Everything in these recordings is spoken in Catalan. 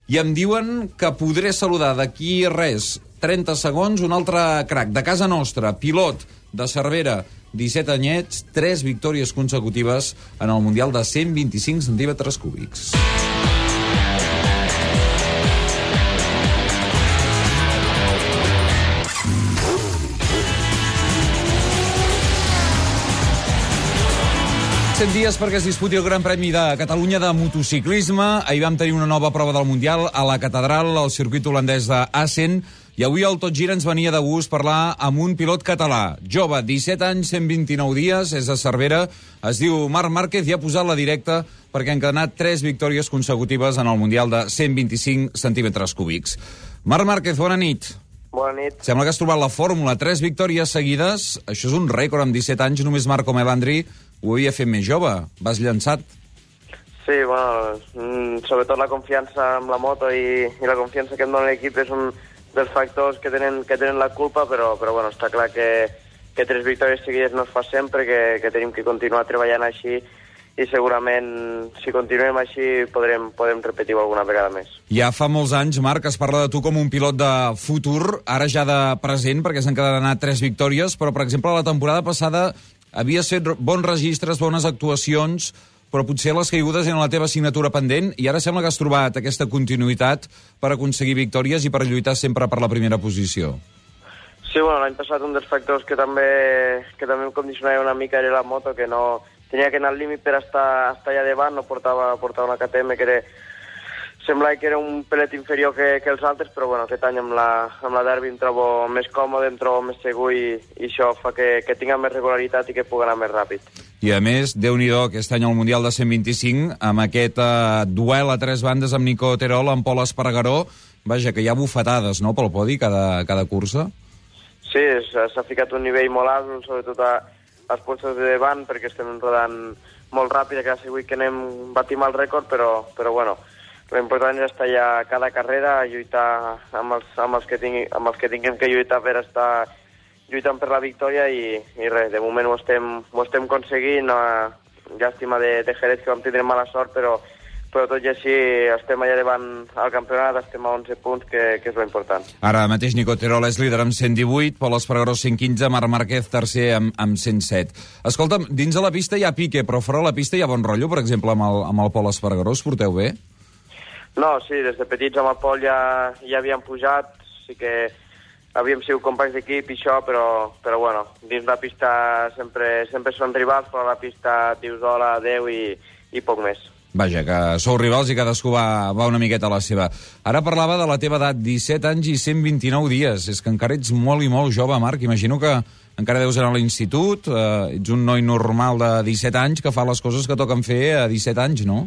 i em diuen que podré saludar d'aquí res, 30 segons, un altre crac de casa nostra, pilot de Cervera, 17 anyets, 3 victòries consecutives en el Mundial de 125 centímetres cúbics. Dies perquè es disputi el Gran Premi de Catalunya de motociclisme. Ahir vam tenir una nova prova del Mundial a la Catedral, al circuit holandès d'Assen, i avui al Tot Gira ens venia de gust parlar amb un pilot català, jove, 17 anys, 129 dies, és de Cervera, es diu Marc Márquez i ha posat la directa perquè ha encadenat 3 victòries consecutives en el Mundial de 125 centímetres cúbics. Marc Márquez, bona nit. Bona nit. Sembla que has trobat la fórmula, 3 victòries seguides, això és un rècord amb 17 anys, només Marco Melandri ho havia fet més jove. Vas llançat? Sí, bueno, sobretot la confiança amb la moto i la confiança que em dona l'equip és un dels factors que tenen la culpa, però bueno, està clar que 3 victòries seguides no es fa sempre, que tenim que continuar treballant així i segurament si continuem així podem repetir-ho alguna vegada més. Ja fa molts anys, Marc, es parla de tu com un pilot de futur, ara ja de present, perquè s'han encadenat 3 victòries, però, per exemple, la temporada passada havies fet bons registres, bones actuacions, però potser les caigudes eren la teva assignatura pendent i ara sembla que has trobat aquesta continuïtat per aconseguir victòries i per lluitar sempre per la primera posició. Sí, bueno, l'any passat un dels factors que també em condicionava una mica era la moto, que no tenia que anar al límit per estar allà davant, no portava una KTM que semblava que era un pelet inferior que els altres, però bueno, aquest any amb la Derby em trobo més còmode, em trobo més segur i això fa que tinga més regularitat i que pugui anar més ràpid. I a més, Déu-n'hi-do, aquest any al Mundial de 125, amb aquest duel a 3 bandes amb Nico Terol, amb Pol Espargaró, vaja, que hi ha bufetades, no?, pel podi cada cursa. Sí, s'ha ficat un nivell molt alt, sobretot als puestos de davant, perquè estem rodant molt ràpid, que ha sigut que batim el rècord, però bueno, l'important és estar allà cada carrera, lluitar amb els que tinguem que lluitar per estar lluitant per la victòria i res, de moment ho estem aconseguint. Llàstima de Jerez, que vam tindre mala sort, però tot i així estem allà davant al campionat, estem a 11 punts, que és l'important. Ara mateix Nico Terol és líder amb 118, Pol Espargaró 115, Marc Márquez tercer amb 107. Escolta'm, dins de la pista hi ha pique, però fora de la pista hi ha bon rotllo, per exemple, amb el Pol Espargaró, us porteu bé? No, sí, des de petits amb el Pol ja havíem pujat, sí que havíem sigut companys d'equip i això, però bueno, dins la pista sempre són rivals, però a la pista dius hola, adeu i poc més. Vaja, que sou rivals i cadascú va una miqueta a la seva. Ara parlava de la teva edat, 17 anys i 129 dies. És que encara ets molt i molt jove, Marc. Imagino que encara deus anar a l'institut, ets un noi normal de 17 anys que fa les coses que toquen fer a 17 anys, no?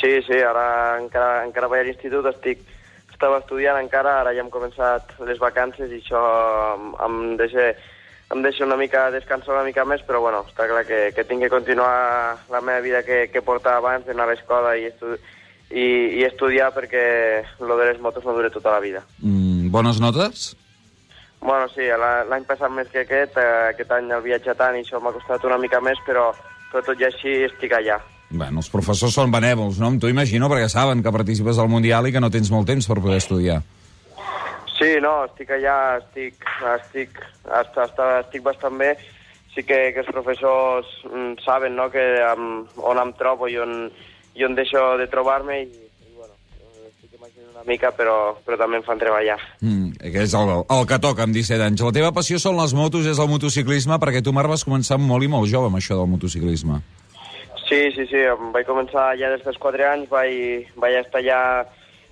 Sí, ara encara vaig a l'institut, estava estudiant encara, ara ja hem començat les vacances i això em deixa una mica descansar una mica més, però bueno, està clar que tinc que continuar la meva vida que portava abans, d'anar a l'escola i estudiar perquè lo de les motos no dura tota la vida. Bones notes? Bueno, sí, l'any passat més que aquest any el viatge tant i això m'ha costat una mica més, però tot i així estic allà. Bueno, els professors són benèvols, no? Amb tu imagino, perquè saben que participes al Mundial i que no tens molt temps per poder estudiar. Sí, no, estic allà, estic bastant bé. Sí que els professors saben, no?, on em trobo i on deixo de trobar-me i bueno, estic imaginant una mica, però també em fan treballar. Que és el que toca amb 17 anys. La teva passió són les motos, és el motociclisme, perquè tu, Marc, vas començar molt i molt jove amb això del motociclisme. Sí, vaig començar ja des dels 4 anys, vaig estar allà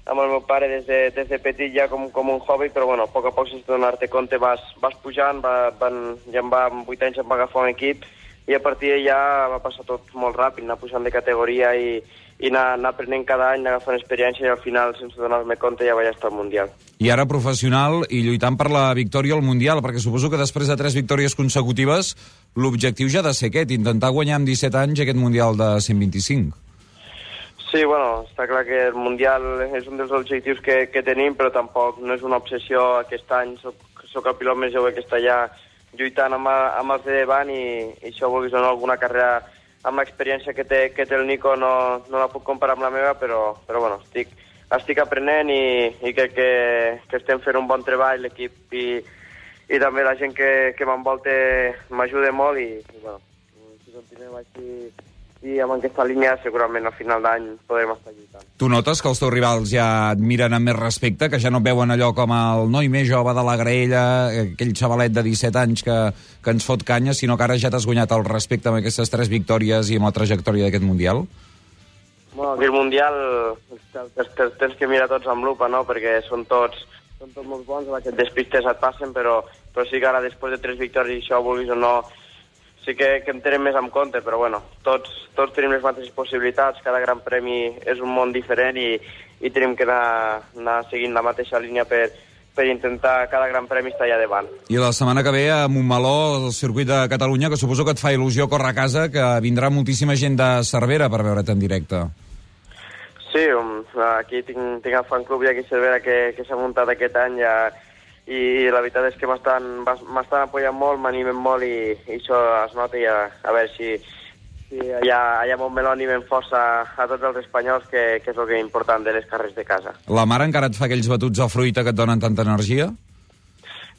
amb el meu pare des de petit ja com un hobby, però bueno, a poc sense donar-te compte vas pujant, amb 8 anys em va agafar un equip i a partir d'allà va passar tot molt ràpid, anar pujant de categoria i anar aprenent cada any, anar agafant experiència i al final, sense donar-me compte, ja vaig estar al Mundial. I ara professional i lluitant per la victòria al Mundial, perquè suposo que després de 3 victòries consecutives l'objectiu ja ha de ser aquest, intentar guanyar amb 17 anys aquest Mundial de 125. Sí, bueno, està clar que el Mundial és un dels objectius que tenim, però tampoc no és una obsessió aquest any. Soc el pilot més jove que està allà lluitant amb els de davant i això vulguis o no, alguna carrera amb l'experiència que té el Nico no la puc comparar amb la meva, però bueno, estic estic aprenent i crec que estem fent un bon treball, l'equip i també la gent que m'envolta m'ajuda molt i bueno, si continuem així i amb aquesta línia segurament al final d'any podrem estar lluitant. Tu notes que els teus rivals ja et miren amb més respecte, que ja no et veuen allò com el noi més jove de la graella, aquell xavalet de 17 anys que ens fot canya, sinó que ara ja t'has guanyat el respecte amb aquestes 3 victòries i amb la trajectòria d'aquest Mundial? Bueno, el Mundial tens que mirar tots amb lupa, no?, perquè són tots molt bons, aquests despistes et passen, però sí que ara després de 3 victòries, això vulguis o no, sí que em tenen més en compte, però bueno, tots tenim les mateixes possibilitats, cada gran premi és un món diferent i tenim que anar seguint la mateixa línia per intentar cada gran premi estar allà davant. I la setmana que ve a Montmeló, el circuit de Catalunya, que suposo que et fa il·lusió córrer a casa, que vindrà moltíssima gent de Cervera per veure't en directe. Sí, aquí tinc el fan club aquí a Cervera que s'ha muntat aquest any i la veritat és que m'estan apoyant molt, m'animen molt i això es nota i a veure si allà a Montmeló animen força a tots els espanyols, que és el que és important de les carreres de casa. La mare encara et fa aquells batuts a fruita que et donen tanta energia?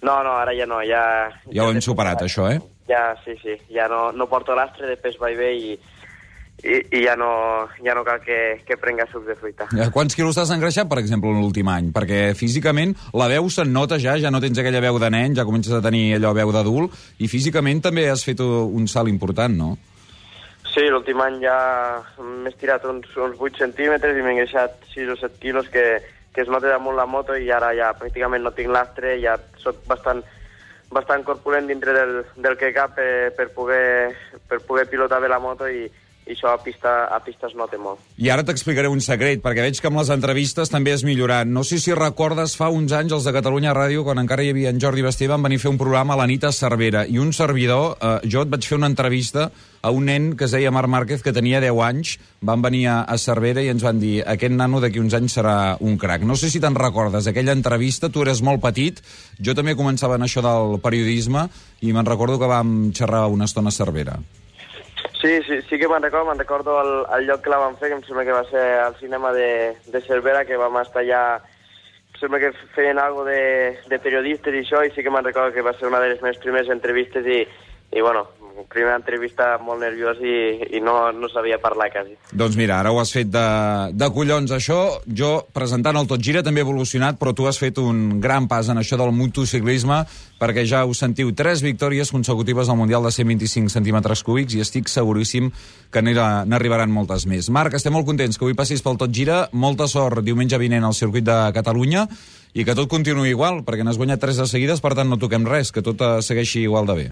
No, ara ja no. Ja ho hem superat, això, eh? Ja, sí, ja no porto l'astre de pes vaivé i ja no cal que prenga suc de fruita. Quants quilos t'has engreixat, per exemple, l'últim any? Perquè físicament la veu se'n nota ja no tens aquella veu de nen, ja comences a tenir allò veu d'adult, i físicament també has fet un salt important, no? Sí, l'últim any ja m'he estirat uns 8 centímetres i m'he engreixat 6 o 7 quilos que es nota damunt la moto i ara ja pràcticament no tinc l'astre, ja soc bastant corpulent dintre del que cap per poder pilotar bé la moto i això a pista es nota molt. I ara t'explicaré un secret, perquè veig que amb les entrevistes també has millorat. No sé si recordes fa uns anys els de Catalunya Ràdio, quan encara hi havia en Jordi Basté, van venir a fer un programa a la nit a Cervera, i un servidor, jo et vaig fer una entrevista a un nen que es deia Marc Márquez, que tenia 10 anys, van venir a Cervera i ens van dir aquest nano d'aquí uns anys serà un crac. No sé si te'n recordes, aquella entrevista, tu eres molt petit, jo també començava en això del periodisme i me'n recordo que vam xerrar una estona a Cervera. Sí que me'n recordo el lloc que la vam fer, que em sembla que va ser al cinema de Cervera, que vam estar allà, em sembla que feien alguna de periodistes i això, i sí que me'n recordo que va ser una de les meves primeres entrevistes i bueno, primera entrevista molt nerviós i no sabia parlar quasi. Doncs mira, ara ho has fet de collons, això. Jo, presentant el Tot Gira, també he evolucionat, però tu has fet un gran pas en això del motociclisme, perquè ja ho sentiu, 3 victòries consecutives al Mundial de 125 centímetres cúbics i estic seguríssim que n'arribaran moltes més. Marc, estem molt contents que avui passis pel Tot Gira. Molta sort diumenge vinent al circuit de Catalunya i que tot continuï igual, perquè n'has guanyat 3 de seguides, per tant no toquem res, que tot segueixi igual de bé.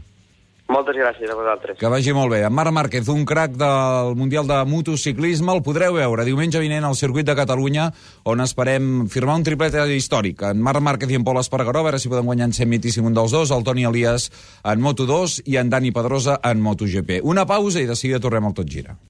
Moltes gràcies a vosaltres. Que vagi molt bé. En Marc Márquez, un crac del Mundial de Motociclisme, el podreu veure diumenge vinent al circuit de Catalunya, on esperem firmar un triplet històric. En Marc Márquez i en Pol Espargaró, a veure si podem guanyar en 125 un dels dos, el Toni Elias en Moto2 i en Dani Pedrosa en MotoGP. Una pausa i de seguida tornem al Tot Gira.